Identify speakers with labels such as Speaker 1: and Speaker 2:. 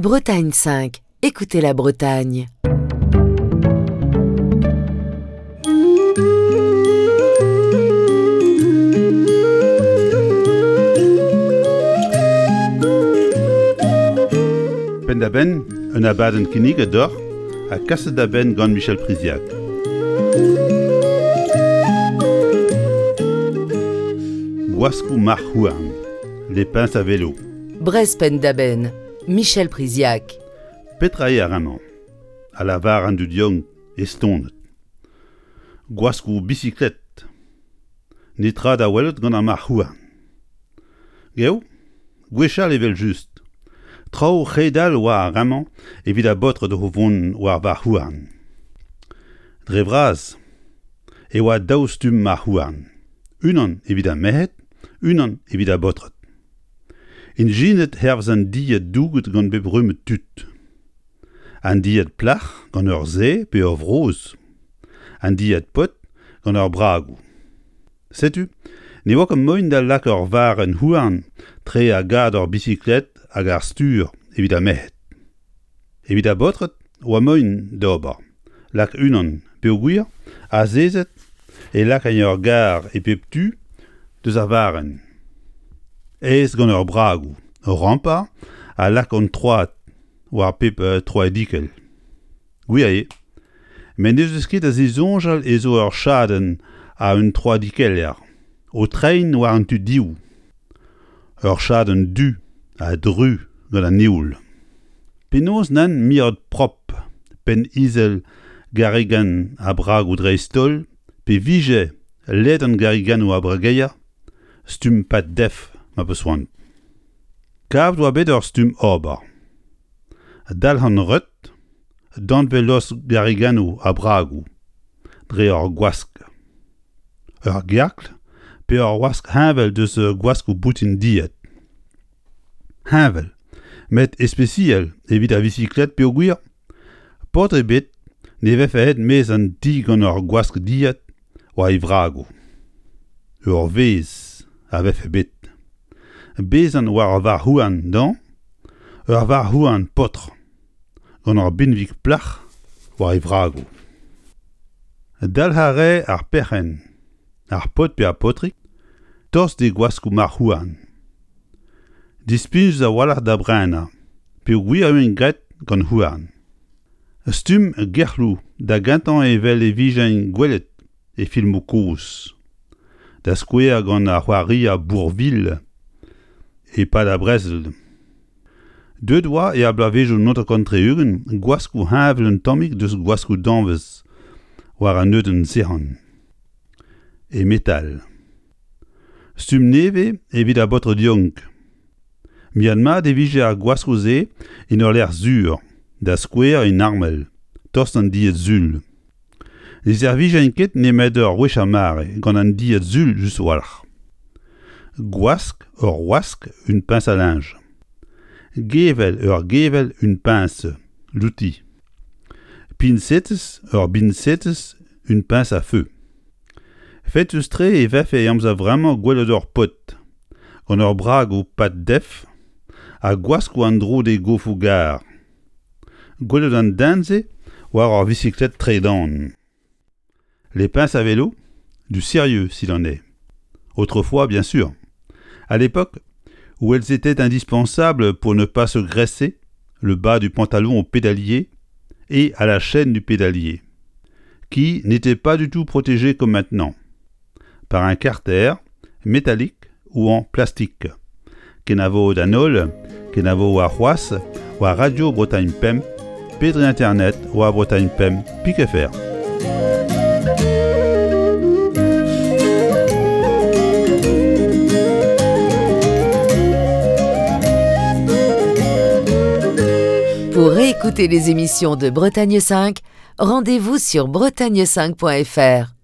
Speaker 1: Bretagne 5, écoutez la Bretagne.
Speaker 2: Penn-da-benn, un abadenn kinniget deoc'h ha kaset da benn gant Michel Priziac. Gwaskoù marc'h-houarn, les pinces à vélo.
Speaker 1: Brest penn-da-benn, Michel Priziac.
Speaker 2: Petra eo ar re-mañ? A lavar an dud yaouank estonet. Gwaskoù bisiklet. Netra da welet gant ar marc'h-houarn. Geo, gwechall evel-just. Traoù c'hedal oa ar re-mañ evit ar baotred o vont war varc'h-houarn. Dre vras e oa daou stumm marc'h-houarn, unan evit ar merc'hed, unan evit ar baotred. Ijinet hervez an dilhad douget gant bep rumm tud. An dilhad plac'h gant ur sae pe ur vrozh, an dilhad paotr gant ur bragoù. Setu, ne oa ket moaien da lakaat ur varrenn houarn tre ar gador bisiklet hag ar stur evit ar merc'hed. Evit ar baotred oa moaien d'ober, lak unan peogwir azezet e lakain ur gar e pep tu deus ar varrenn. Aes gant ur bragoù, ur rampañ ha lak an troad war pep troadikell. Gwir eo. Met n'ez eus ket da zisoñjal ez eo ur chadenn a un troadikeller o treiñ war an tu div. Ur chadenn du ha dru gant an heol. Penaos nann mirout prop penn izel garrigan ha bragoù dreist-holl pe vije ledan garriganoù ar brageier stumm pad-def ma peus c'hoant. Kavet oa bet ur stumm ober. Dalc'han reut danvez-lost garriganoù ha bragoù dre ur gwask. Ur gerkl pe ur wask heñvel deus gwaskoù boutin dilhad. Heñvel, met ispisial evit ar visiklet peogwir paotr ebet ne vefe aet maez an ti gant ur gwask dilhad war e vragoù. Ur vezh a vefe bet. Bezañ war ur varc'h-houarn dañ, ur varc'h-houarn paotr, gant ur binvig plac'h war e vragoù. Dalc'h a rae ar perc'henn, ar paotr pe ar paotrig, tost d'e gwaskoù marc'h-houarn. Displijus a-walc'h da brenañ peogwir e oant graet gant houarn. Stumm gerc'hloù da gentañ evel e vijent gwelet e filmoù kozh, da skouer gant ar c'hoarier Bourvil e-pad ar brezel. Deuet oa er bloavezhioù 1960 gwaskoù heñvel un tammig deus gwaskoù danvez war an neudenn sec'han e metal. Stumm nevez evit ar baotred yaouank. Miat-mat e vije ar gwaskoù-se en ul lec'h sur, da skouer en armel, tost an dilhad sul. Ne servijent ket nemet ur wech ar mare gant an dilhad sul just a-walc'h. Gwask ur wask une pince à linge. Gevell ur gevell une pince, l'outil. Piñsetez ur biñsetez une pince à feu. Fetus-tre e vefe e amzer vremañ gwelet ur paotr gant ur bragoù pad-def ha gwaskoù en-dro d'e gofoù-gar. Gwelet an den-se war ur visiklet tredan. Les pinces à vélo, du sérieux s'il en est. Autrefois, bien sûr. À l'époque où elles étaient indispensables pour ne pas se graisser le bas du pantalon au pédalier et à la chaîne du pédalier, qui n'était pas du tout protégée comme maintenant, par un carter métallique ou en plastique. Kenavo d'an holl, kenavo warc'hoazh war Radio Bretagne Pemp pe dre internet war Bretagne Pemp pik fr.
Speaker 1: Pour réécouter les émissions de Bretagne 5, rendez-vous sur bretagne5.fr.